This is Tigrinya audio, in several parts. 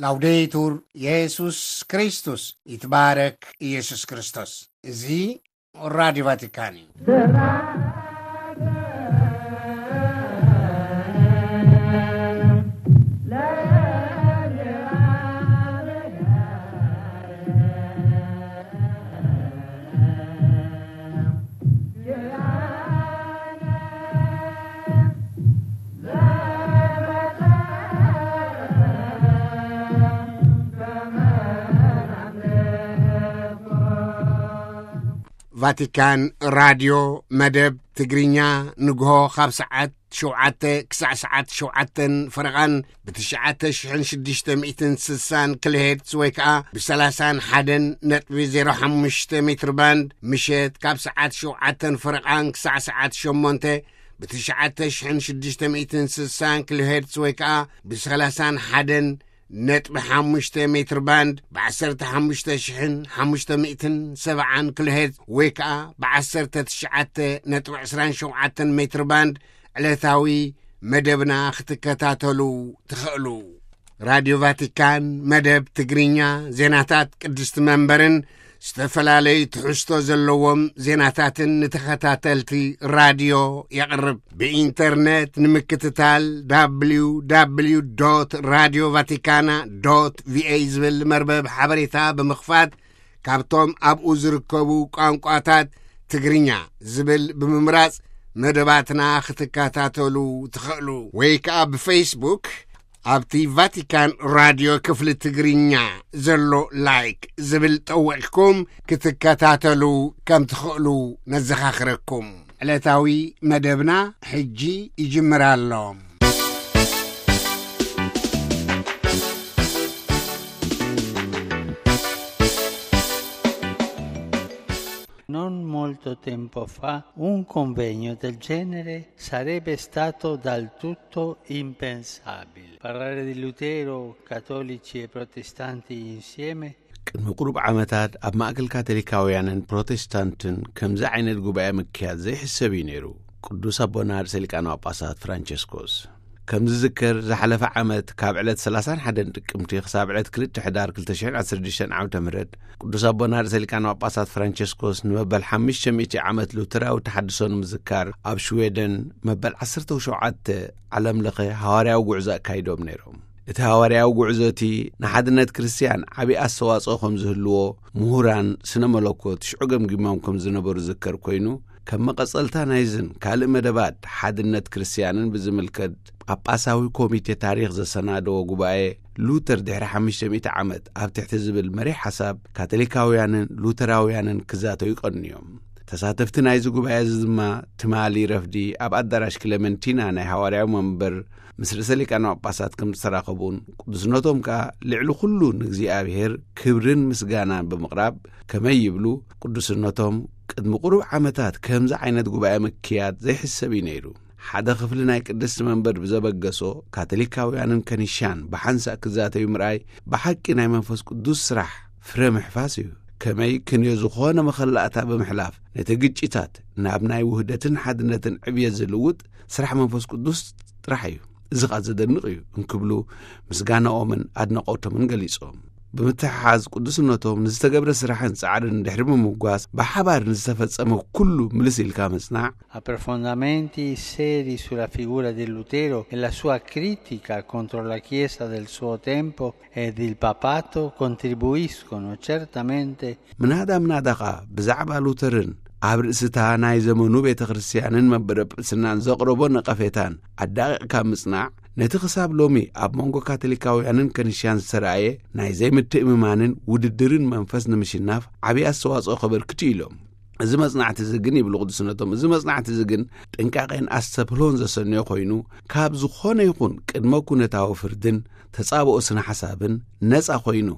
ላውዴቱር የሱስ ክርስቶስ፣ ይትባረክ ኢየሱስ ክርስቶስ። እዚ ራዲዮ ቫቲካን እዩ። ቫቲካን ራድዮ መደብ ትግርኛ ንግሆ ካብ ሰዓት ሸውዓተ ክሳዕ ሰዓት ሸውዓተን ፈረቓን ብትሽዓተ ሽሕን ሽዱሽተ ሚእትን ስሳን ኪሎሄርትዝ ወይ ከኣ ብሰላሳን ሓደን ነጥቢ ዜሮ ሓሙሽተ ሜትር ባንድ፣ ምሸት ካብ ሰዓት ሸውዓተን ፈረቓን ክሳዕ ሰዓት ሸሞንተ ብትሽዓተ ሽሕን ሽዱሽተ ሚእትን ስሳን ኪሎሄርትዝ ወይ ከኣ ብሰላሳን ሓደን ነጥቢ ሓሙሽተ ሜትር ባንድ፣ ብዓሰርተ ሓሙሽተ ሽሕን ሓሙሽተ ሚእትን ሰብዓን ኪሎሄርትዝ ወይ ከኣ ብዓሰርተ ትሽዓተ ነጥቢ ዕስራን ሸውዓተን ሜትር ባንድ ዕለታዊ መደብና ክትከታተሉ ትኽእሉ። ራድዮ ቫቲካን መደብ ትግርኛ፣ ዜናታት ቅድስቲ መንበርን ዝተፈላለዩ ትሕዝቶ ዘለዎም ዜናታትን ንተኸታተልቲ ራድዮ የቕርብ። ብኢንተርነት ንምክትታል፣ www radio vaticana va ዝብል መርበብ ሓበሬታ ብምኽፋት፣ ካብቶም ኣብኡ ዝርከቡ ቋንቋታት ትግርኛ ዝብል ብምምራጽ መደባትና ክትከታተሉ ትኽእሉ። ወይ ከኣ ብፌስቡክ ኣብቲ ቫቲካን ራድዮ ክፍሊ ትግርኛ ዘሎ ላይክ ዝብል ጠዊቕኩም ክትከታተሉ ከም ትኽእሉ ነዘኻኽረኩም። ዕለታዊ መደብና ሕጂ ይጅምር ኣሎ። Non molto tempo fa un convegno del genere sarebbe stato dal tutto impensabile. Parlare di Lutero, cattolici e protestanti insieme? ቅድሚ ቁሩብ ዓመታት ኣብ ማእከል ካቶሊካውያንን ፕሮቴስታንትን ከምዚ ዓይነት ጉባኤ ምክያድ ዘይሕሰብ እዩ ነይሩ። ቅዱስ ኣቦና ርእሰ ሊቃነ ጳጳሳት ፍራንቸስኮስ ከም ዝዝከር፣ ዝሓለፈ ዓመት ካብ ዕለት ሰላሳን ሓደን ጥቅምቲ ክሳብ ዕለት ክልተ ሕዳር ክልተ ሽሕን ዓሰርተ ሽዱሽተን ዓመተ ምህረት፣ ቅዱስ ኣቦና ርእሰ ሊቃነ ጳጳሳት ፍራንቸስኮስ ንመበል ሓሙሽተ ሚእቲ ዓመት ሉተራዊ ተሓድሶ ንምዝካር ኣብ ሽዌደን መበል ዓሰርተ ሸውዓተ ዓለም ለኸ ሃዋርያዊ ጉዕዞ ኣካይዶም ነይሮም። እቲ ሃዋርያዊ ጉዕዞ እቲ ንሓድነት ክርስትያን ዓቢ ኣስተዋጽኦ ከም ዝህልዎ ምሁራን ስነ መለኮት ሽዑ ገምጊሞም ከም ዝነበሩ ዝዝከር ኮይኑ፣ ከም መቐጸልታ ናይዝን ካልእ መደባት ሓድነት ክርስትያንን ብዝምልከት ጳጳሳዊ ኮሚቴ ታሪኽ ዘሰናደዎ ጉባኤ፣ ሉተር ድሕሪ ሓሙሽተ ሚእቲ ዓመት ኣብ ትሕቲ ዝብል መሪሕ ሓሳብ ካቶሊካውያንን ሉተራውያንን ክዛተዩ ቀንዮም። ተሳተፍቲ ናይዚ ጉባኤ እዚ ድማ ትማሊ ረፍዲ ኣብ ኣዳራሽ ክለመንቲና ናይ ሃዋርያዊ መንበር ምስ ርእሰ ሊቃነ ጳጳሳት ከም ዝተራኸቡን፣ ቅዱስነቶም ከኣ ልዕሊ ኩሉ ንእግዚኣብሔር ክብርን ምስጋናን ብምቕራብ፣ ከመይ ይብሉ፣ ቅዱስነቶም ቅድሚ ቁሩብ ዓመታት ከምዚ ዓይነት ጉባኤ ምክያድ ዘይሕሰብ እዩ ነይሩ። ሓደ ክፍሊ ናይ ቅድስቲ መንበር ብዘበገሶ ካቶሊካውያንን ከኒሻን ብሓንሳእ ክዛተዩ ምርኣይ ብሓቂ ናይ መንፈስ ቅዱስ ስራሕ ፍረ ምሕፋስ እዩ። ከመይ ክንዮ ዝኾነ መኸላእታ ብምሕላፍ ነቲ ግጭታት ናብ ናይ ውህደትን ሓድነትን ዕብየት ዝልውጥ ስራሕ መንፈስ ቅዱስ ጥራሕ እዩ። እዚ ኸኣ ዘደንቕ እዩ እንክብሉ ምስጋናኦምን ኣድናቖቶምን ገሊጾም። ብምትሕሓዝ ቅዱስነቶም ንዝተገብረ ስራሕን ጻዕርን ድሕሪ ምምጓስ፣ ብሓባር ንዝተፈጸመ ኩሉ ምልስ ኢልካ ምጽናዕ፣ Approfondimenti seri sulla figura di Lutero e la sua critica contro la Chiesa del suo tempo ed il papato contribuiscono certamente ምናዳ ምናዳ ኸኣ ብዛዕባ ሉተርን ኣብ ርእስታ ናይ ዘመኑ ቤተ ክርስትያንን መንበረ ጵጵስናን ዘቕረቦ ነቐፌታን ኣዳቒቕካ ምጽናዕ፣ ነቲ ክሳብ ሎሚ ኣብ መንጎ ካቶሊካውያንን ከኒሻን ዝተራእየ ናይ ዘይምትእምማንን ውድድርን መንፈስ ንምሽናፍ ዓብዪ ኣስተዋጽኦ ከበርክት እዩ ኢሎም። እዚ መጽናዕቲ እዚ ግን፣ ይብሉ ቅዱስነቶም፣ እዚ መጽናዕቲ እዚ ግን ጥንቃቄን ኣስተብህሎን ዘሰንዮ ኮይኑ፣ ካብ ዝኾነ ይኹን ቅድመ ኩነታዊ ፍርድን ተጻብኦ ስነ ሓሳብን ነጻ ኮይኑ፣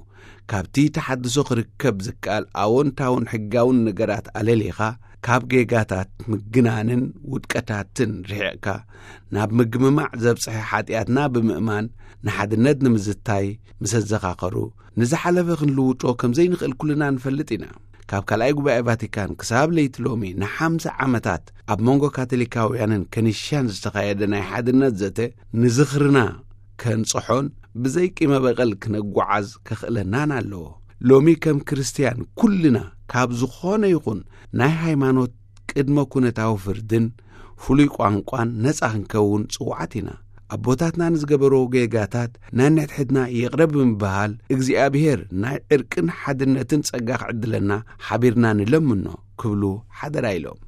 ካብቲ ተሓድሶ ክርከብ ዝከኣል ኣወንታውን ሕጋውን ነገራት ኣለሊኻ፣ ካብ ጌጋታት ምግናንን ውድቀታትን ርሒቕካ፣ ናብ ምግምማዕ ዘብጽሐ ሓጢኣትና ብምእማን ንሓድነት ንምዝታይ ምስ ኣዘኻኸሩ፣ ንዝሓለፈ ክንልውጦ ከም ዘይንኽእል ኩልና ንፈልጥ ኢና። ካብ ካልኣይ ጉባኤ ቫቲካን ክሳብ ለይቲ ሎሚ ንሓምሳ ዓመታት ኣብ መንጎ ካቶሊካውያንን ከኒሻን ዝተኻየደ ናይ ሓድነት ዘተ ንዝኽርና ከንጽሖን ብዘይ ቂመ በቐል ክነጓዓዝ ከኽእለናን ኣለዎ። ሎሚ ከም ክርስትያን ኩልና ካብ ዝኾነ ይኹን ናይ ሃይማኖት ቅድመ ኩነታዊ ፍርድን ፍሉይ ቋንቋን ነጻ ክንከውን ጽዉዓት ኢና። ኣቦታትና ንዝገበርዎ ጌጋታት ነንሕድሕድና ይቕረ ብምብሃል እግዚኣብሔር ናይ ዕርቅን ሓድነትን ጸጋ ክዕድለና ሓቢርና ንለምኖ ክብሉ ሓደራ ኢሎም።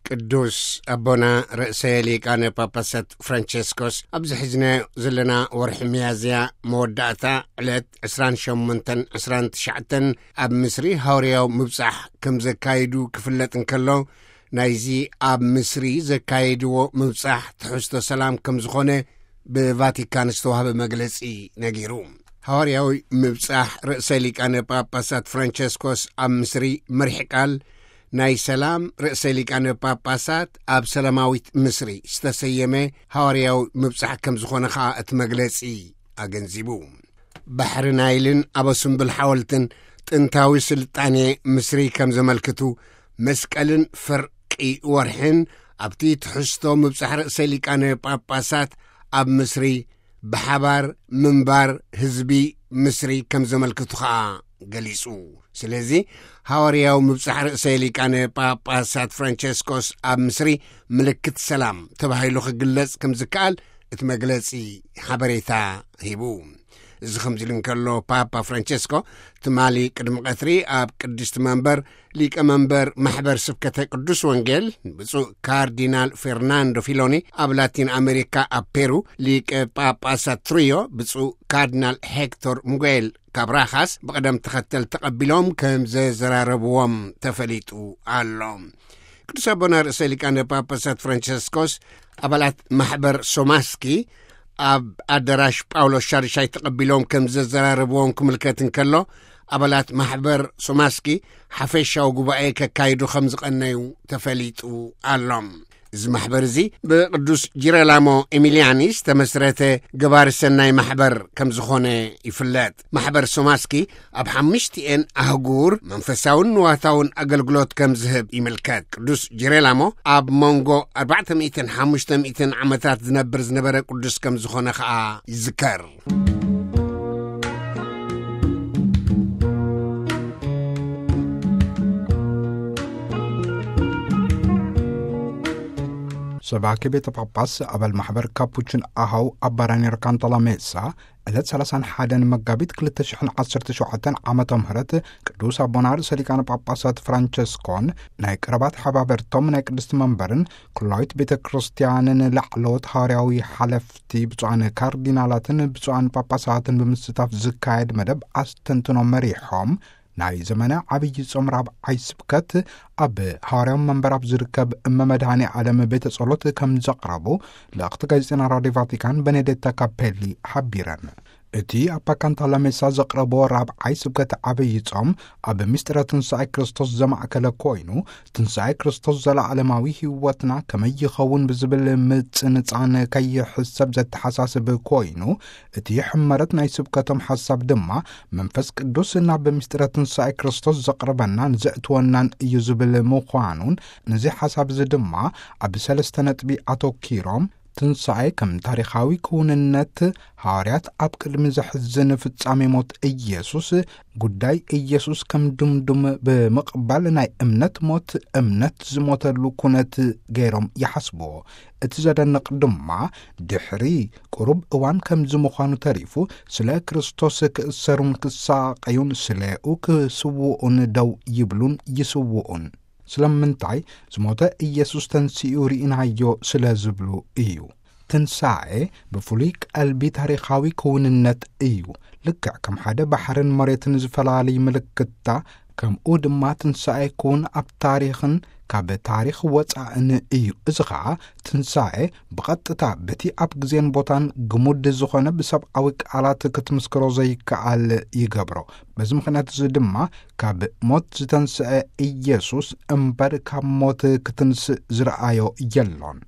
ቅዱስ ኣቦና ርእሰ ሊቃነ ጳጳሳት ፍራንቸስኮስ ኣብዚ ሒዝናዮ ዘለና ወርሒ ሚያዝያ መወዳእታ ዕለት ዕስራን ሸሞንተን ዕስራን ትሽዓተን ኣብ ምስሪ ሃዋርያዊ ምብጻሕ ከም ዘካይዱ ክፍለጥ እንከሎ፣ ናይዚ ኣብ ምስሪ ዘካየድዎ ምብጻሕ ትሕዝቶ ሰላም ከም ዝኾነ ብቫቲካን ዝተዋህበ መግለጺ ነጊሩ። ሃዋርያዊ ምብጻሕ ርእሰ ሊቃነ ጳጳሳት ፍራንቸስኮስ ኣብ ምስሪ መሪሕ ቃል ናይ ሰላም ርእሰ ሊቃነ ጳጳሳት ኣብ ሰላማዊት ምስሪ ዝተሰየመ ሃዋርያዊ ምብጻሕ ከም ዝኾነ ኸኣ እቲ መግለጺ ኣገንዚቡ። ባሕሪ ናይልን ኣበ ስምብል ሓወልትን ጥንታዊ ስልጣኔ ምስሪ ከም ዘመልክቱ፣ መስቀልን ፍርቂ ወርሕን ኣብቲ ትሕዝቶ ምብጻሕ ርእሰ ሊቃነ ጳጳሳት ኣብ ምስሪ ብሓባር ምንባር ህዝቢ ምስሪ ከም ዘመልክቱ ኸኣ ገሊጹ። ስለዚ፣ ሃዋርያዊ ምብጻሕ ርዕሰ ሊቃነ ጳጳሳት ፍራንቸስኮስ ኣብ ምስሪ ምልክት ሰላም ተባሂሉ ክግለጽ ከም ዝከኣል እቲ መግለጺ ሓበሬታ ሂቡ። እዚ ከምዚ ኢሉ እንከሎ፣ ፓፓ ፍራንቸስኮ ትማሊ ቅድሚ ቀትሪ ኣብ ቅድስቲ መንበር ሊቀ መንበር ማሕበር ስብከተ ቅዱስ ወንጌል ብፁዕ ካርዲናል ፌርናንዶ ፊሎኒ፣ ኣብ ላቲን ኣሜሪካ ኣብ ፔሩ ሊቀ ጳጳሳት ትሪዮ ብፁዕ ካርዲናል ሄክቶር ሙጌል ካብራኻስ ብቕደም ተኸተል ተቐቢሎም ከም ዘዘራረብዎም ተፈሊጡ ኣሎ። ቅዱስ ኣቦና ርእሰ ሊቃነ ጳጳሳት ፍራንቸስኮስ ኣባላት ማሕበር ሶማስኪ ኣብ ኣዳራሽ ጳውሎስ ሻድሻይ ተቐቢሎም ከም ዘዘራረብዎም ክምልከት እንከሎ፣ ኣባላት ማሕበር ሶማስኪ ሓፈሻዊ ጉባኤ ከካይዱ ከም ዝቐነዩ ተፈሊጡ ኣሎ። እዚ ማሕበር እዚ ብቅዱስ ጂረላሞ ኤሚልያኒ ዝተመስረተ ገባሪ ሰናይ ማሕበር ከም ዝኾነ ይፍለጥ። ማሕበር ሶማስኪ ኣብ ሓሙሽቲኤን ኣህጉር መንፈሳውን ንዋታውን ኣገልግሎት ከም ዝህብ ይምልከት። ቅዱስ ጂረላሞ ኣብ መንጎ ኣርባዕተ ሚእትን ሓሙሽተ ሚእትን ዓመታት ዝነብር ዝነበረ ቅዱስ ከም ዝኾነ ኸኣ ይዝከር። ሰባኪ ቤተ ጳጳስ ኣባል ማሕበር ካፑችን ኣሃው ኣባ ራኒር ካንታላሜሳ ዕለት ሰላሳን ሓደን መጋቢት ክልተ ሽሕን ዓሰርተ ሸውዓተን ዓመተ ምህረት ቅዱስ ኣቦና ርእሰ ሊቃነ ጳጳሳት ፍራንቸስኮን ናይ ቀረባ ተሓባበርቶም ናይ ቅድስቲ መንበርን ኩላዊት ቤተ ክርስቲያንን ላዕለዎት ሃዋርያዊ ሓለፍቲ ብፁዓን ካርዲናላትን ብፁዓን ጳጳሳትን ብምስታፍ ዝካየድ መደብ ኣስተንትኖ መሪሖም፣ ናይ ዘመነ ዓብዪ ጾም ራብዓይ ስብከት ኣብ ሃዋርያዊ መንበር ኣብ ዝርከብ እመ መድኃኔ ዓለም ቤተ ጸሎት ከም ዘቕረቡ ልእኽቲ ጋዜጠና ራድዮ ቫቲካን በኔዴታ ካፔሊ ሓቢረን። እቲ ኣባ ካንታላሜሳ ዘቕረቦ ራብዓይ ስብከት ዓብዪ ጾም ኣብ ምስጢረ ትንሳኤ ክርስቶስ ዘማእከለ ኮይኑ፣ ትንሳኤ ክርስቶስ ዘለዓለማዊ ህይወትና ከመይ ይኸውን ብዝብል ምጽንጻን ከይሕሰብ ዘተሓሳስብ ኮይኑ፣ እቲ ሕመረት ናይ ስብከቶም ሓሳብ ድማ መንፈስ ቅዱስ ናብ ምስጢረ ትንሳኤ ክርስቶስ ዘቕርበናን ዘእትወናን እዩ ዝብል ምዃኑን፣ ነዚ ሓሳብ እዚ ድማ ኣብ ሰለስተ ነጥቢ ኣተኪሮም፣ ትንሳኤ ከም ታሪኻዊ ክውንነት፣ ሃዋርያት ኣብ ቅድሚ ዘሕዝን ፍጻሜ ሞት ኢየሱስ፣ ጉዳይ ኢየሱስ ከም ድምዱም ብምቕባል ናይ እምነት ሞት፣ እምነት ዝሞተሉ ኩነት ገይሮም ይሓስብዎ። እቲ ዘደንቕ ድማ፣ ድሕሪ ቁሩብ እዋን ከምዚ ምዃኑ ተሪፉ፣ ስለ ክርስቶስ ክእሰሩን ክሳቐዩን፣ ስለኡ ክስውኡን ደው ይብሉን ይስውኡን። ስለምንታይ? ዝሞተ ኢየሱስ ተንሲኡ ርኢናዮ ስለ ዝብሉ እዩ። ትንሳኤ ብፍሉይ ቀልቢ ታሪኻዊ ክውንነት እዩ። ልክዕ ከም ሓደ ባሕርን መሬትን ዝፈላልይ ምልክታ፣ ከምኡ ድማ ትንሳኤ ክውን ኣብ ታሪኽን ካብ ታሪኽ ወጻእን እዩ። እዚ ኸኣ ትንሳኤ ብቐጥታ በቲ ኣብ ግዜን ቦታን ግሙድ ዝኾነ ብሰብኣዊ ቃላት ክትምስክሮ ዘይከኣል ይገብሮ። በዚ ምኽንያት እዚ ድማ ካብ ሞት ዝተንስአ ኢየሱስ እምበር ካብ ሞት ክትንስእ ዝረኣዮ የሎን።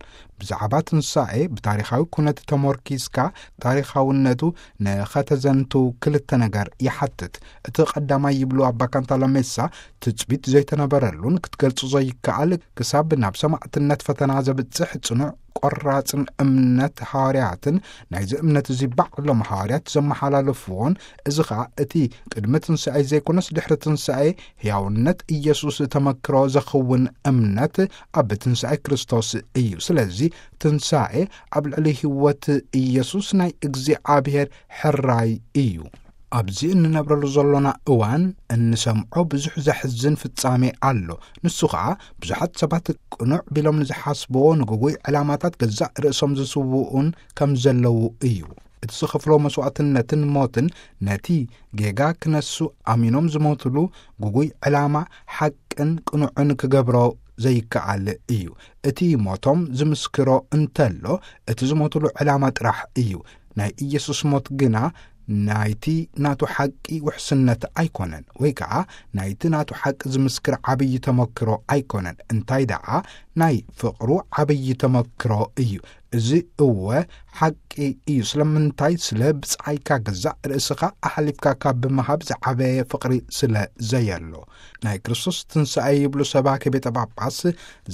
ብዛዕባ ትንሳኤ ብታሪኻዊ ኩነት ተሞርኪስካ ታሪኻውነቱ ንኸተዘንቱ ክልተ ነገር ይሓትት። እቲ ቀዳማይ ይብሉ ኣባ ካንታሎሜሳ ትጽቢት ዘይተነበረሉን ክትገልጹ ዘይከኣል ክሳብ ናብ ሰማዕትነት ፈተና ዘብጽሕ ጽኑዕ ቆራጽን እምነት ሃዋርያትን ናይዚ እምነት እዚ ባዕሎም ሃዋርያት ዘመሓላለፍዎን እዚ ኸኣ እቲ ቅድሚ ትንሳኤ ዘይኮነስ ድሕሪ ትንሳኤ ሕያውነት ኢየሱስ ተመክሮ ዘኽውን እምነት ኣብ ትንሳኤ ክርስቶስ እዩ። ስለዚ ትንሳኤ ኣብ ልዕሊ ህይወት ኢየሱስ ናይ እግዚኣብሔር ሕራይ እዩ። ኣብዚ እንነብረሉ ዘሎና እዋን እንሰምዖ ብዙሕ ዘሕዝን ፍጻሜ ኣሎ። ንሱ ኸኣ ብዙሓት ሰባት ቅኑዕ ቢሎም ንዝሓስብዎ ንግጉይ ዕላማታት ገዛእ ርእሶም ዝስውኡን ከም ዘለዉ እዩ። እቲ ዝኸፍሎ መስዋዕትነትን ሞትን ነቲ ጌጋ ክነሱ ኣሚኖም ዝሞትሉ ግጉይ ዕላማ ሓቅን ቅኑዕን ክገብሮ ዘይከኣል እዩ። እቲ ሞቶም ዝምስክሮ እንተሎ እቲ ዝሞትሉ ዕላማ ጥራሕ እዩ። ናይ ኢየሱስ ሞት ግና ናይቲ ናቱ ሓቂ ውሕስነት ኣይኮነን፣ ወይ ከኣ ናይቲ ናቱ ሓቂ ዝምስክር ዓብዪ ተመክሮ ኣይኮነን። እንታይ ደኣ ናይ ፍቕሩ ዓብዪ ተመክሮ እዩ። እዚ እወ ሓቂ እዩ። ስለምንታይ? ስለ ብጻይካ ገዛእ ርእስኻ ኣሕሊፍካ ካብ ብምሃብ ዝዓበየ ፍቕሪ ስለ ዘየሎ። ናይ ክርስቶስ ትንሳኤ ይብሉ ሰባኪ ቤተ ጳጳስ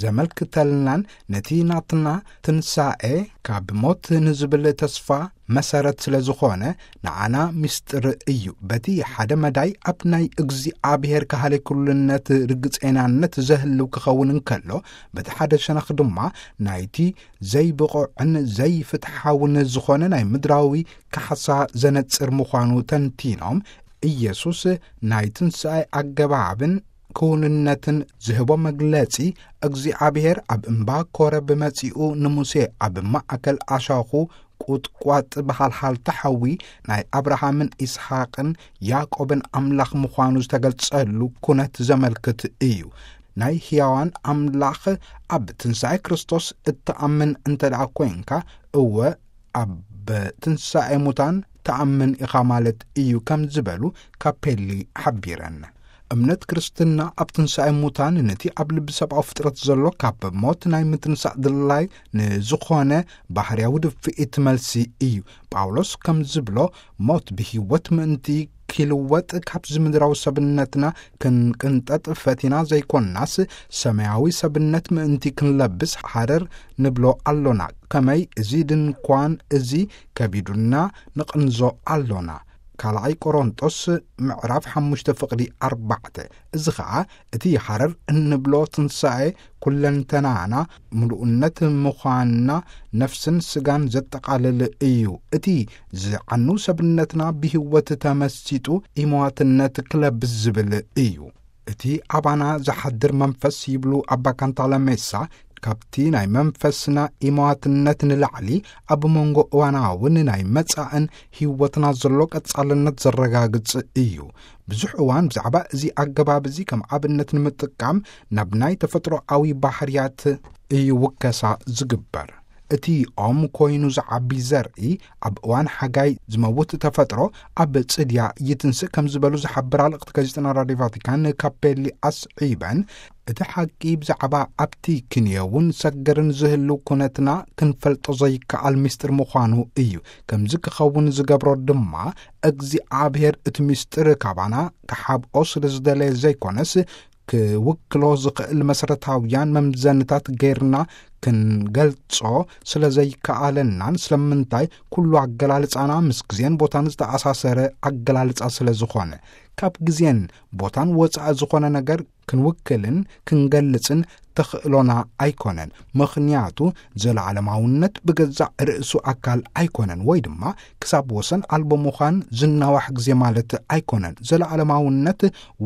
ዘመልክተልናን ነቲ ናትና ትንሳኤ ካብ ሞት ንዝብል ተስፋ መሰረት ስለ ዝኾነ ንዓና ምስጢር እዩ። በቲ ሓደ መዳይ ኣብ ናይ እግዚኣብሔር ካህሊ ኩልነት ርግጼናነት ዘህልው ክኸውን እንከሎ፣ በቲ ሓደ ሸነኽ ድማ ናይቲ ዘይብቑዕን ዘይፍትሓውን ዝኾነ ናይ ምድራዊ ካሕሳ ዘነጽር ምዃኑ ተንቲኖም፣ ኢየሱስ ናይ ትንሳኤ ኣገባብን ክውንነትን ዝህቦ መግለጺ፣ እግዚኣብሔር ኣብ እምባ ኮረብ መጺኡ ንሙሴ ኣብ ማእከል ኣሻኹ ቁጥቋጥ ብሃልሃልታ ሓዊ ናይ ኣብርሃምን ይስሓቅን ያዕቆብን ኣምላኽ ምዃኑ ዝተገልጸሉ ኩነት ዘመልክት እዩ። ናይ ሕያዋን ኣምላኽ ኣብ ትንሳኤ ክርስቶስ እትኣምን እንተ ደኣ ኮይንካ፣ እወ ኣብ ትንሳኤ ሙታን ትኣምን ኢኻ ማለት እዩ ከም ዝበሉ ካፔሊ ሓቢረን። እምነት ክርስትና ኣብ ትንሳኤ ሙታን ነቲ ኣብ ልቢ ሰብኣዊ ፍጥረት ዘሎ ካብ ሞት ናይ ምትንሳእ ድላይ ንዝኾነ ባህርያዊ ድፍኢት መልሲ እዩ። ጳውሎስ ከም ዝብሎ፣ ሞት ብህይወት ምእንቲ ኪልወጥ ካብዚ ምድራዊ ሰብነትና ክንቅንጠጥ ፈቲና ዘይኮንናስ፣ ሰማያዊ ሰብነት ምእንቲ ክንለብስ ሃረር ንብሎ ኣሎና። ከመይ እዚ ድንኳን እዚ ከቢዱና ንቕንዞ ኣሎና። ካልኣይ ቆሮንጦስ ምዕራፍ ሓሙሽተ ፍቕዲ ኣርባዕተ። እዚ ኸኣ እቲ ሃረር እንብሎ ትንሳኤ ኩለንተናና፣ ምሉእነት ምዃንና፣ ነፍስን ስጋን ዘጠቓልል እዩ። እቲ ዝዓኑ ሰብነትና ብህይወት ተመሲጡ ኢመዋትነት ክለብስ ዝብል እዩ። እቲ ኣባና ዝሓድር መንፈስ ይብሉ ኣባ ካንታለሜሳ፣ ካብቲ ናይ መንፈስና ኢመዋትነት ንላዕሊ ኣብ መንጎ እዋናውን ናይ መጻእን ህይወትና ዘሎ ቀጻልነት ዘረጋግጽ እዩ። ብዙሕ እዋን ብዛዕባ እዚ ኣገባብ እዚ ከም ኣብነት ንምጥቃም ናብ ናይ ተፈጥሮኣዊ ባህርያት እዩ ውከሳ ዝግበር። እቲ ኦም ኮይኑ ዝዓቢ ዘርኢ ኣብ እዋን ሓጋይ ዝመውት ተፈጥሮ ኣብ ጽድያ ይትንስእ ከም ዝበሉ ዝሓብራ ልእኽቲ ጋዜጠና ራድዮ ቫቲካን ካፔሊ ኣስዒበን፣ እቲ ሓቂ ብዛዕባ ኣብቲ ክንየውን ሰገርን ዝህሉ ኩነትና ክንፈልጦ ዘይከኣል ምስጢር ምዃኑ እዩ። ከምዚ ክኸውን ዝገብሮ ድማ እግዚኣብሔር እቲ ምስጢር ካባና ክሓብኦ ስለ ዝደለየ ዘይኮነስ፣ ክውክሎ ዝኽእል መሰረታውያን መምዘንታት ገይርና ክንገልጾ ስለ ዘይከኣለናን ስለምንታይ ኩሉ ኣገላልጻና ምስ ግዜን ቦታን ዝተኣሳሰረ ኣገላልጻ ስለ ዝኾነ፣ ካብ ግዜን ቦታን ወጻኢ ዝኾነ ነገር ክንውክልን ክንገልጽን ተኽእሎና ኣይኮነን። ምኽንያቱ ዘለዓለማውነት ብገዛእ ርእሱ ኣካል ኣይኮነን፣ ወይ ድማ ክሳብ ወሰን ኣልቦ ምዃን ዝናዋሕ ግዜ ማለት ኣይኮነን። ዘለዓለማውነት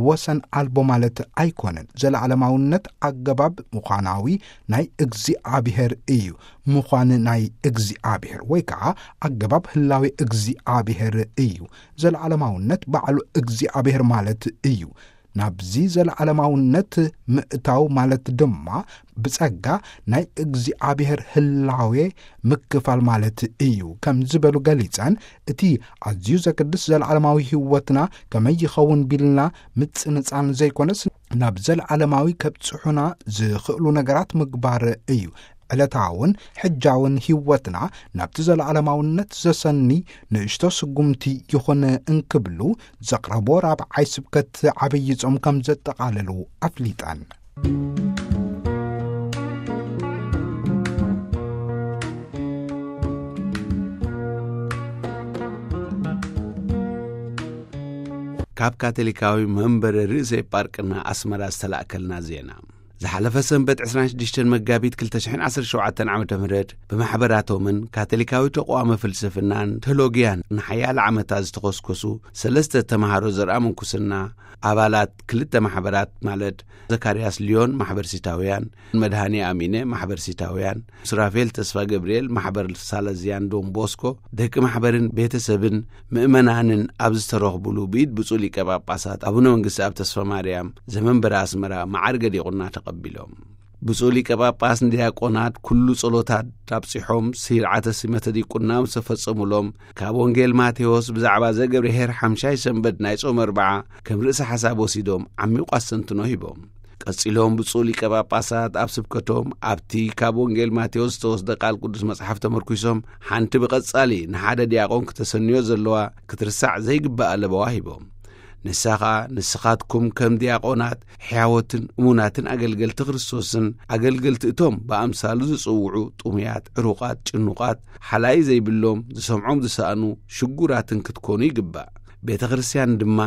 ወሰን ኣልቦ ማለት ኣይኮነን። ዘለዓለማውነት ኣገባብ ምዃናዊ ናይ እግዚኣብሔር እዩ። ምዃን ናይ እግዚኣብሔር ወይ ከዓ ኣገባብ ህላዌ እግዚኣብሔር እዩ። ዘለዓለማውነት ባዕሉ እግዚኣብሔር ማለት እዩ። ናብዚ ዘለዓለማውነት ምእታው ማለት ድማ ብጸጋ ናይ እግዚኣብሔር ህላዌ ምክፋል ማለት እዩ ከም ዝበሉ ገሊጸን፣ እቲ ኣዝዩ ዘገድስ ዘለዓለማዊ ህይወትና ከመይ ይኸውን ቢልና ምጽንጻን ዘይኮነስ፣ ናብ ዘለዓለማዊ ከብጽሑና ዝኽእሉ ነገራት ምግባር እዩ። ዕለታውን ሕጃውን ህይወትና ናብቲ ዘለዓለማውነት ዘሰኒ ንእሽቶ ስጉምቲ ይኹን እንክብሉ ዘቕረቦ ራብዓይ ስብከት ዓብዪ ጾም ከም ዘጠቓለሉ ኣፍሊጠን። ካብ ካቶሊካዊ መንበረ ርእሰ ኤጳርቅና ኣስመራ ዝተላእከልና ዜና። ዝሓለፈ ሰንበት ዕስራን ሽዱሽተን መጋቢት ክልተ ሽሕን ዓሰርተ ሸውዓተን ዓመተ ምህረት ብማሕበራቶምን ካቶሊካዊ ተቋመ ፍልስፍናን ቴዎሎጊያን ንሓያለ ዓመታት ዝተኾስኮሱ ሰለስተ ተምሃሮ ዘርኣ ምንኩስና ኣባላት ክልተ ማሕበራት ማለት ዘካርያስ ሊዮን ማሕበር ሲታውያን፣ መድሃኔ ኣሚነ ማሕበር ሲታውያን፣ ሱራፌል ተስፋ ገብርኤል ማሕበር ሳለዝያን ዶን ቦስኮ፣ ደቂ ማሕበርን ቤተሰብን ምእመናንን ኣብ ዝተረኽቡሉ ብኢድ ብፁዕ ሊቀ ጳጳሳት ኣቡነ መንግስቲ ኣብ ተስፋ ማርያም ዘመንበረ ኣስመራ መዓርገ ዲቁና ተቐቢሎም። ብፁዕ ሊቀ ጳጳስ ንዲያቆናት ኩሉ ጸሎታት ኣብጺሖም ስርዓተ ሲመተ ዲቁና ምስ ተፈጸሙሎም፣ ካብ ወንጌል ማቴዎስ ብዛዕባ ዘገብርሄር ሓምሻይ ሰንበት ናይ ጾም ኣርብዓ ከም ርእሰ ሓሳብ ወሲዶም ዓሚቑ ኣስተንትኖ ሂቦም። ቀጺሎም ብፁዕ ሊቀ ጳጳሳት ኣብ ስብከቶም ኣብቲ ካብ ወንጌል ማቴዎስ ዝተወስደ ቃል ቅዱስ መጽሓፍ ተመርኲሶም ሓንቲ ብቐጻሊ ንሓደ ዲያቆን ክተሰንዮ ዘለዋ ክትርሳዕ ዘይግባእ ኣለበዋ ሂቦም። ንሳ ኸኣ ንስኻትኩም ከም ዲያቆናት ሕያዎትን እሙናትን ኣገልገልቲ ክርስቶስን ኣገልገልቲ እቶም ብኣምሳሉ ዝጽውዑ ጥሙያት፣ ዕሩቓት፣ ጭኑቓት፣ ሓላይ ዘይብሎም፣ ዝሰምዖም ዝሰኣኑ፣ ሽጉራትን ክትኮኑ ይግባእ። ቤተ ክርስቲያን ድማ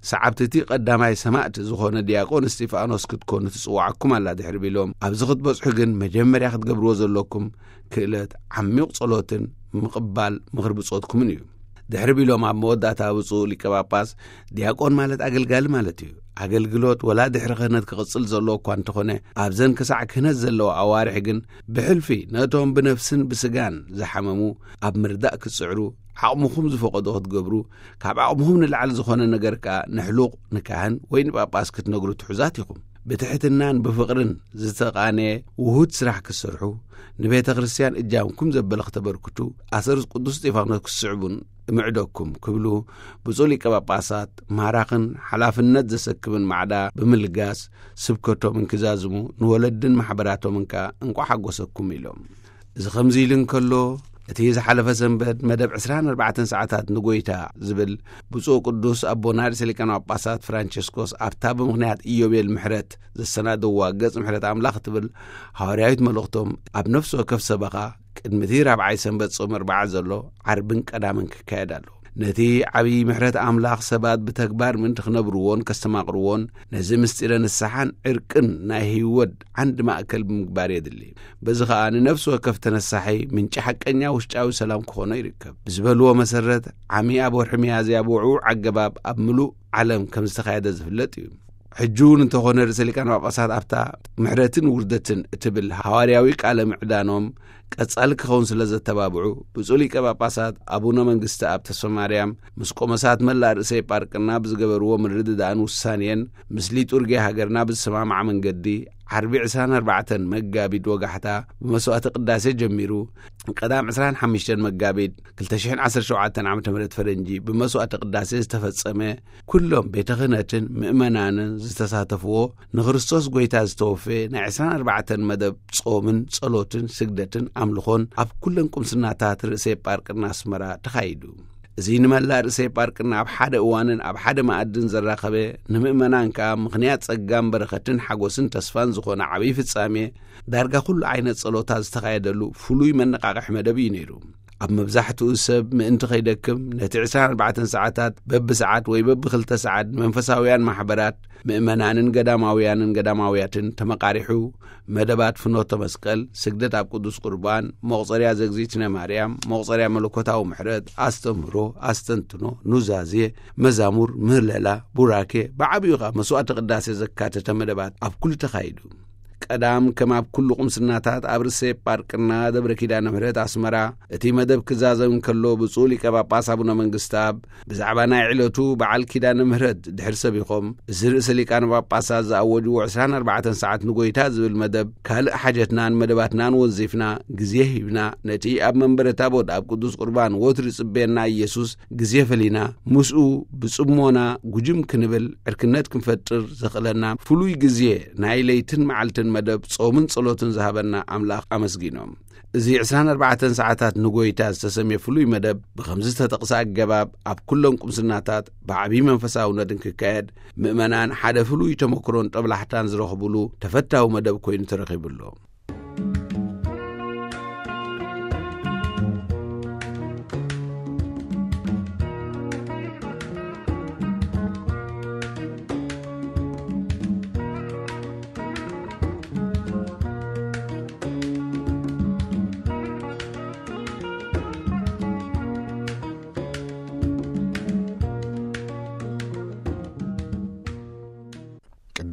ሰዓብቲ እቲ ቀዳማይ ሰማዕቲ ዝኾነ ዲያቆን እስጢፋኖስ ክትኮኑ ትጽውዓኩም ኣላ ድሕሪ ቢሎም፣ ኣብዚ ክትበጽሑ ግን መጀመርያ ክትገብርዎ ዘለኩም ክእለት ዓሚቕ ጸሎትን ምቕባል ምኽሪ ብጾትኩምን እዩ። ድሕሪ ቢሎም ኣብ መወዳእታ ብፁዕ ሊቀ ጳጳስ፣ ዲያቆን ማለት ኣገልጋሊ ማለት እዩ። ኣገልግሎት ወላ ድሕሪ ክህነት ክቕጽል ዘለዎ እኳ እንተኾነ፣ ኣብዘን ክሳዕ ክህነት ዘለዋ ኣዋርሕ ግን ብሕልፊ ነቶም ብነፍስን ብስጋን ዝሓመሙ ኣብ ምርዳእ ክትጽዕሩ፣ ዓቕምኹም ዝፈቐዶ ክትገብሩ፣ ካብ ዓቕምኹም ንላዕሊ ዝኾነ ነገር ከኣ ንሕሉቕ ንካህን ወይ ንጳጳስ ክትነግሩ ትሑዛት ኢኹም። ብትሕትናን ብፍቕርን ዝተቓነየ ውሁድ ስራሕ ክትሰርሑ፣ ንቤተ ክርስቲያን እጃምኩም ዘበለ ክተበርክቱ፣ ኣሰር ቅዱስ እስጢፋኖስ ክትስዕቡን እምዕደኩም ክብሉ ብፁዕ ሊቀ ጳጳሳት ማራኽን ሓላፍነት ዘሰክምን ማዕዳ ብምልጋስ ስብከቶም እንክዛዝሙ ንወለድን ማሕበራቶምን ከኣ እንቋዕ ሓጎሰኩም ኢሎም። እዚ ከምዚ ኢሉ እንከሎ፣ እቲ ዝሓለፈ ሰንበት መደብ ዕስራን ኣርባዕተን ሰዓታት ንጎይታ ዝብል ብፁዕ ቅዱስ ኣቦና ርእሰ ሊቃነ ጳጳሳት ፍራንቸስኮስ ኣብታ ብምኽንያት ኢዮቤል ምሕረት ዘሰናደዋ ገጽ ምሕረት ኣምላኽ እትብል ሃዋርያዊት መልእኽቶም ኣብ ነፍሲ ወከፍ ሰበኻ ቅድሚ እቲ ራብዓይ ሰንበት ጾም ኣርብዓ ዘሎ ዓርብን ቀዳምን ክካየድ ኣሎ። ነቲ ዓብዪ ምሕረት ኣምላኽ ሰባት ብተግባር ምእንቲ ክነብርዎን ከስተማቕርዎን፣ ነዚ ምስጢረ ንስሓን ዕርቅን ናይ ህይወት ዓንዲ ማእከል ብምግባር የድሊ። በዚ ኸኣ ንነፍሲ ወከፍ ተነሳሒ ምንጪ ሓቀኛ ውሽጣዊ ሰላም ክኾኖ ይርከብ። ብዝበልዎ መሰረት፣ ዓሚ ኣብ ወርሒ ሚያዝያ ብውዕዉዕ ኣገባብ ኣብ ምሉእ ዓለም ከም ዝተኻየደ ዝፍለጥ እዩ። ሕጂ እውን እንተኾነ ርእሰ ሊቃነ ጳጳሳት ኣብታ ምሕረትን ውርደትን እትብል ሃዋርያዊ ቃለ ምዕዳኖም ቀጻሊ ክኸውን ስለ ዘተባብዑ፣ ብፁዕ ሊቀ ጳጳሳት ኣቡነ መንግስተኣብ ተስፋ ማርያም ምስ ቆሞሳት መላእ ርእሰ ኤጳርቅና ብዝገበርዎ ምርድዳእን ውሳኔን፣ ምስ ሊጡርጊያ ሃገርና ብዝሰማማዕ መንገዲ፣ ዓርቢ ዕስራን ኣርባዕተን መጋቢት ወጋሕታ ብመስዋዕተ ቅዳሴ ጀሚሩ፣ ቀዳም ዕስራን ሓሙሽተን መጋቢት ክልተ ሽሕን ዓሰርተ ሸውዓተን ዓመተ ምህረት ፈረንጂ ብመስዋዕተ ቅዳሴ ዝተፈጸመ፣ ኩሎም ቤተ ክህነትን ምእመናንን ዝተሳተፍዎ፣ ንክርስቶስ ጐይታ ዝተወፈየ ናይ ዕስራን ኣርባዕተን መደብ ጾምን ጸሎትን ስግደትን ኣምልኾን ኣብ ኩለን ቁምስናታት ርእሰ ኤጳርቅና ኣስመራ ተኻይዱ። እዚ ንመላእ ርእሰ ኤጳርቅና ኣብ ሓደ እዋንን ኣብ ሓደ መኣድን ዘራኸበ፣ ንምእመናን ከኣ ምኽንያት ጸጋን በረኸትን ሓጎስን ተስፋን ዝኾነ ዓብዪ ፍጻሜ፣ ዳርጋ ኩሉ ዓይነት ጸሎታት ዝተኻየደሉ ፍሉይ መነቓቕሒ መደብ እዩ ነይሩ። ኣብ መብዛሕትኡ ሰብ ምእንቲ ከይደክም፣ ነቲ ዕስራን ኣርባዕተን ሰዓታት በብሰዓት ወይ በብኽልተ ሰዓት ንመንፈሳውያን ማሕበራት፣ ምእመናንን ገዳማውያንን ገዳማውያትን ተመቓሪሑ፣ መደባት ፍኖተ መስቀል፣ ስግደት ኣብ ቅዱስ ቁርባን፣ መቑጸርያ ዘግዚእትነ ማርያም፣ መቑጸርያ መለኮታዊ ምሕረት፣ ኣስተምህሮ፣ ኣስተንትኖ፣ ኑዛዜ፣ መዛሙር፣ ምህለላ፣ ቡራኬ፣ ብዓቢኡ ኸኣ መስዋዕተ ቅዳሴ ዘካተተ መደባት ኣብ ኩሉ ተኻይዱ። ቀዳም፣ ከም ኣብ ኩሉ ቁምስናታት፣ ኣብ ርእሰ ጳርቅና ደብረ ኪዳነ ምሕረት ኣስመራ እቲ መደብ ክዛዘም እንከሎ፣ ብፁዕ ሊቀ ጳጳስ ኣቡነ መንግስተኣብ ብዛዕባ ናይ ዕለቱ በዓል ኪዳነ ምሕረት ድሕሪ ሰቢኾም፣ እዚ ርእሰ ሊቃነ ጳጳሳት ዝኣወጅዎ ዕስራን ኣርባዕተን ሰዓት ንጎይታ ዝብል መደብ፣ ካልእ ሓጀትናን መደባትናን ወንዚፍና፣ ግዜ ሂብና፣ ነቲ ኣብ መንበረ ታቦት ኣብ ቅዱስ ቁርባን ወትሩ ዝጽበየና ኢየሱስ ግዜ ፈሊና፣ ምስኡ ብጽሞና ጉጅም ክንብል፣ ዕርክነት ክንፈጥር ዘኽእለና ፍሉይ ግዜ፣ ናይ ለይትን መዓልትን መደብ ጾምን ጸሎትን ዝሃበና ኣምላኽ ኣመስጊኖም። እዚ ዕስራን ኣርባዕተን ሰዓታት ንጎይታ ዝተሰምየ ፍሉይ መደብ፣ ብኸምዚ ዝተጠቕሰ ኣገባብ ኣብ ኩሎም ቁምስናታት ብዓቢ መንፈሳውነት እንክካየድ፣ ምእመናን ሓደ ፍሉይ ተመክሮን ጦብላሕታን ዝረኽብሉ ተፈታዊ መደብ ኮይኑ ተረኺቡ ኣሎ።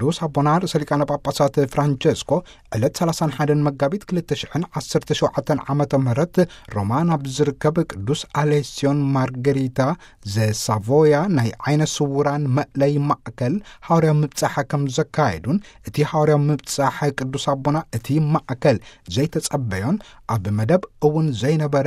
ቅዱስ ኣቦና ርእሰ ሊቃነ ጳጳሳት ፍራንቸስኮ ዕለት ሰላሳን ሓደን መጋቢት ክልተ ሽሕን ዓሰርተ ሸውዓተን ዓመተ ምህረት ሮማ ናብ ዝርከብ ቅዱስ ኣሌስዮን ማርገሪታ ዘሳቮያ ናይ ዓይነ ስውራን መእለይ ማእከል ሃዋርያዊ ምብጻሕ ከም ዘካየዱን፣ እቲ ሃዋርያዊ ምብጻሕ ቅዱስ ኣቦና እቲ ማእከል ዘይተጸበዮን ኣብ መደብ እውን ዘይነበረ፣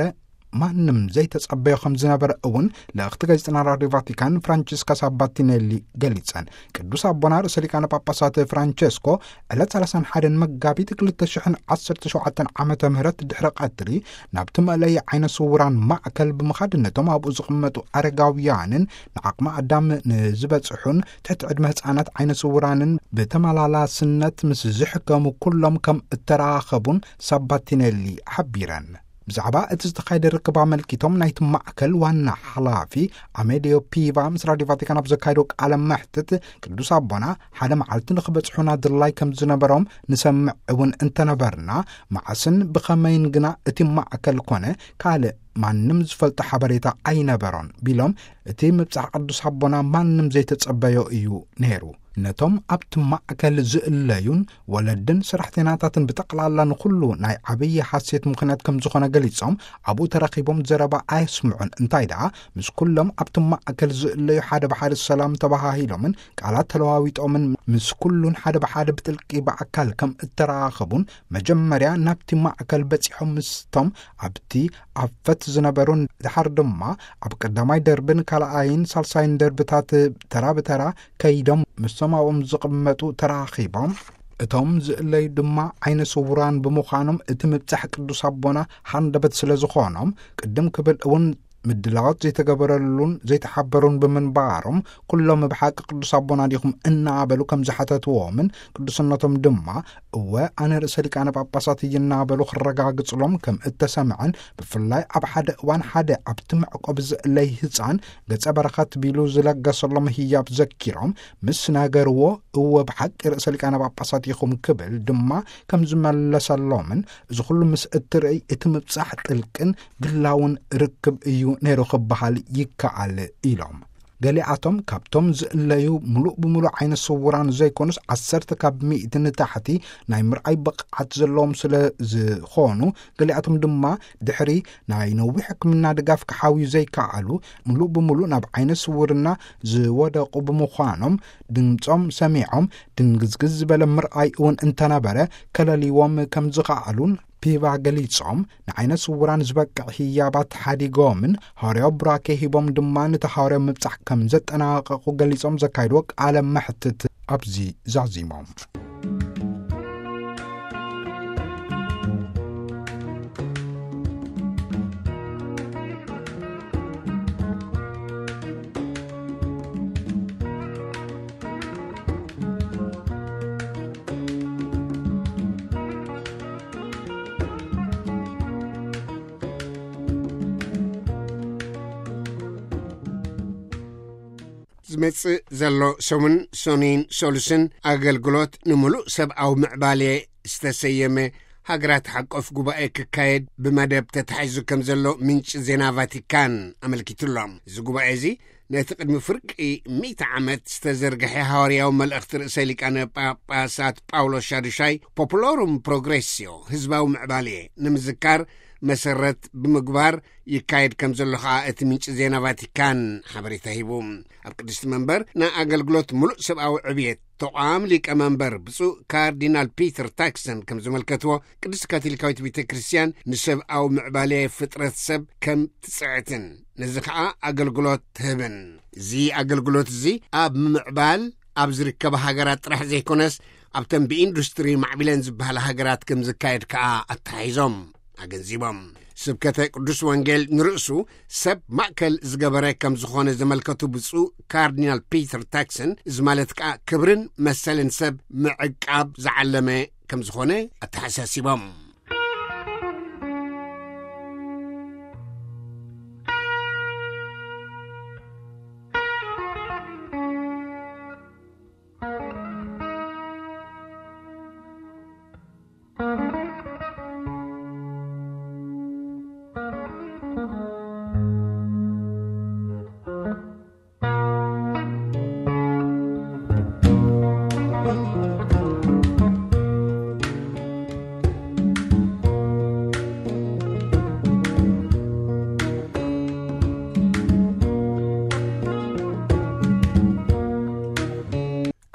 ማንም ዘይተጸበዮ ከም ዝነበረ እውን ልእኽቲ ጋዜጠና ራድዮ ቫቲካን ፍራንቺስካ ሳባቲኔሊ ገሊጸን። ቅዱስ ኣቦና ርእሰ ሊቃነ ጳጳሳት ፍራንቸስኮ ዕለት ሰላሳን ሓደን መጋቢት ክልተ ሽሕን ዓሰርተ ሸውዓተን ዓመተ ምህረት ድሕሪ ቀትሪ ናብቲ መእለይ ዓይነ ስውራን ማእከል ብምኻድ፣ ነቶም ኣብኡ ዝቕመጡ ኣረጋውያንን ንዓቕሚ ኣዳም ንዝበጽሑን ትሕቲ ዕድመ ህጻናት ዓይነ ስውራንን ብተመላላስነት ምስ ዝሕከሙ ኩሎም ከም እተራኸቡን ሳባቲኔሊ ሓቢረን። ብዛዕባ እቲ ዝተኻየደ ርክብ ኣመልኪቶም ናይቲ ማእከል ዋና ሓላፊ ኣሜልዮ ፒቫ ምስ ራድዮ ቫቲካን ኣብ ዘካየዶ ቃለ መሕትት፣ ቅዱስ ኣቦና ሓደ መዓልቲ ንኽበጽሑና ድላይ ከም ዝነበሮም ንሰምዕ እውን እንተነበርና፣ መዓስን ብኸመይን ግና እቲ ማእከል ኮነ ካልእ ማንም ዝፈልጦ ሓበሬታ ኣይነበሮን ቢሎም፣ እቲ ምብጻሕ ቅዱስ ኣቦና ማንም ዘይተጸበዮ እዩ ነይሩ። ነቶም ኣብቲ ማእከል ዝእለዩን ወለድን ሰራሕተኛታትን ብጠቕላላ ንኹሉ ናይ ዓብዪ ሓሴት ምኽንያት ከም ዝኾነ ገሊጾም፣ ኣብኡ ተረኺቦም ዘረባ ኣየስምዑን፣ እንታይ ደኣ ምስ ኩሎም ኣብቲ ማእከል ዝእለዩ ሓደ ብሓደ ሰላም ተባሃሂሎምን ቃላት ተለዋዊጦምን ምስ ኩሉን ሓደ ብሓደ ብጥልቂ ብኣካል ከም እተራኸቡን፣ መጀመርያ ናብቲ ማእከል በጺሖም ምስቶም ኣብቲ ኣፈት ዝነበሩን ድሓር ድማ ኣብ ቀዳማይ ደርብን ካልኣይን ሳልሳይን ደርብታት ተራ ብተራ ከይዶም ምስቶም ኣብኦም ዝቕመጡ ተራኺቦም፣ እቶም ዝእለዩ ድማ ዓይነ ስውራን ብምዃኖም፣ እቲ ምብጻሕ ቅዱስ ኣቦና ሃንደበት ስለ ዝኾኖም፣ ቅድም ክብል እውን ምድላዋት ዘይተገበረሉን ዘይተሓበሩን ብምንባሮም፣ ኩሎም ብሓቂ ቅዱስ ኣቦና ዲኹም እናበሉ ከም ዝሓተትዎምን፣ ቅዱስነቶም ድማ እወ ኣነ ርእሰ ሊቃነ ጳጳሳት እየ እናበሉ ክረጋግጽሎም ከም እተሰምዐን፣ ብፍላይ ኣብ ሓደ እዋን ሓደ ኣብቲ መዕቆቢ ዝእለይ ህጻን ገጸ በረኸት ቢሉ ዝለገሰሎም ህያብ ዘኪሮም ምስ ነገርዎ፣ እወ ብሓቂ ርእሰ ሊቃነ ጳጳሳት ኢኹም ክብል ድማ ከም ዝመለሰሎምን፣ እዚ ኩሉ ምስ እትርእይ እቲ ምብጻሕ ጥልቅን ግላውን ርክብ እዩ ነይሩ ክበሃል ይከኣል ኢሎም። ገሊኣቶም ካብቶም ዝእለዩ ምሉእ ብምሉእ ዓይነ ስውራን ዘይኮኑስ፣ ዓሰርተ ካብ ሚእቲ ንታሕቲ ናይ ምርኣይ ብቕዓት ዘለዎም ስለ ዝኾኑ፣ ገሊኣቶም ድማ ድሕሪ ናይ ነዊሕ ሕክምና ድጋፍ ክሓውዩ ዘይከኣሉ፣ ምሉእ ብምሉእ ናብ ዓይነ ስውርና ዝወደቑ ብምዃኖም፣ ድምጾም ሰሚዖም ድንግዝግዝ ዝበለ ምርኣይ እውን እንተነበረ፣ ከለልይዎም ከም ዝኸኣሉን ፒቫ ገሊጾም፣ ንዓይነ ስውራን ዝበቅዕ ህያባት ሓዲጎምን፣ ሃዋርያዊ ቡራኬ ሂቦም ድማ፣ ነቲ ሃዋርያዊ ምብጻሕ ከም ዘጠናቐቑ ገሊጾም ዘካይድዎ ቃለ መሕትት ኣብዚ ዛዚሞም። ዝመጽእ ዘሎ ሰሙን፣ ሰኑይን ሰሉስን፣ ኣገልግሎት ንምሉእ ሰብኣዊ ምዕባሌ ዝተሰየመ ሃገራት ሓቆፍ ጉባኤ ክካየድ ብመደብ ተታሒዙ ከም ዘሎ ምንጪ ዜና ቫቲካን ኣመልኪቱ ኣሎ። እዚ ጉባኤ እዚ ነቲ ቅድሚ ፍርቂ ሚእቲ ዓመት ዝተዘርግሐ ሃዋርያዊ መልእኽቲ ርእሰ ሊቃነ ጳጳሳት ጳውሎስ ሻዱሻይ፣ ፖፑሎሩም ፕሮግሬስዮ፣ ህዝባዊ ምዕባሌ፣ ንምዝካር መሰረት ብምግባር ይካየድ ከም ዘሎ ከኣ እቲ ምንጪ ዜና ቫቲካን ሓበሬታ ሂቡ። ኣብ ቅድስቲ መንበር ናይ ኣገልግሎት ምሉእ ሰብኣዊ ዕብየት ተቋም ሊቀ መንበር ብፁዕ ካርዲናል ፒተር ታክሰን ከም ዝመልከትዎ፣ ቅድስቲ ካቶሊካዊት ቤተ ክርስቲያን ንሰብኣዊ ምዕባሌ ፍጥረት ሰብ ከም ትጽዕትን ነዚ ከኣ ኣገልግሎት ትህብን። እዚ ኣገልግሎት እዚ ኣብ ምምዕባል ኣብ ዝርከባ ሃገራት ጥራሕ ዘይኮነስ፣ ኣብተን ብኢንዱስትሪ ማዕቢለን ዝበሃላ ሃገራት ከም ዝካየድ ከኣ ኣተሓሒዞም ኣገንዚቦም። ስብከተ ቅዱስ ወንጌል ንርእሱ ሰብ ማእከል ዝገበረ ከም ዝኾነ ዘመልከቱ ብፁዕ ካርዲናል ፒተር ታክሰን፣ እዚ ማለት ከኣ ክብርን መሰልን ሰብ ምዕቃብ ዝዓለመ ከም ዝኾነ ኣተሓሳሲቦም።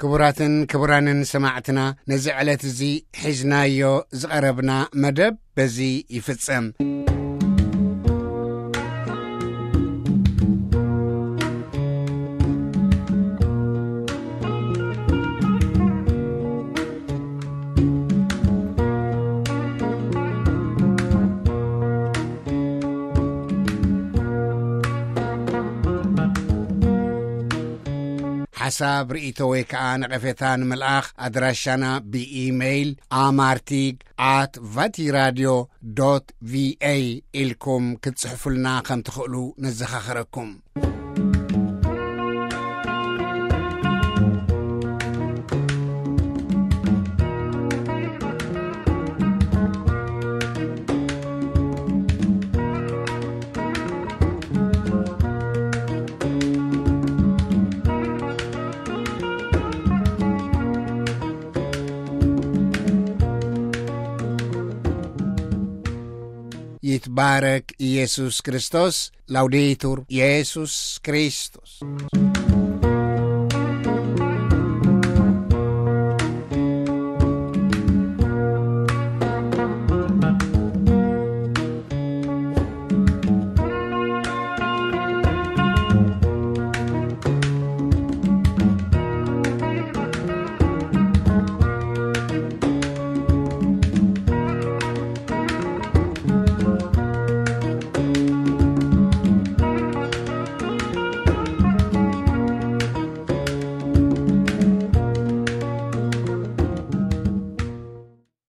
ክቡራትን ክቡራንን ሰማዕትና፣ ነዚ ዕለት እዚ ሒዝናዮ ዝቐረብና መደብ በዚ ይፍጸም። ሓሳብ፣ ርእይቶ ወይ ከኣ ነቐፌታ ንምልኣኽ ኣድራሻና ብኢሜይል ኣማርቲግ ኣት ቫቲራድዮ ዶት ቪኤ ኢልኩም ክትጽሕፉልና ከም ትኽእሉ ነዘኻኽረኩም። ይትባረክ ኢየሱስ ክርስቶስ። ላውዴቱር ኢየሱስ ክርስቶስ።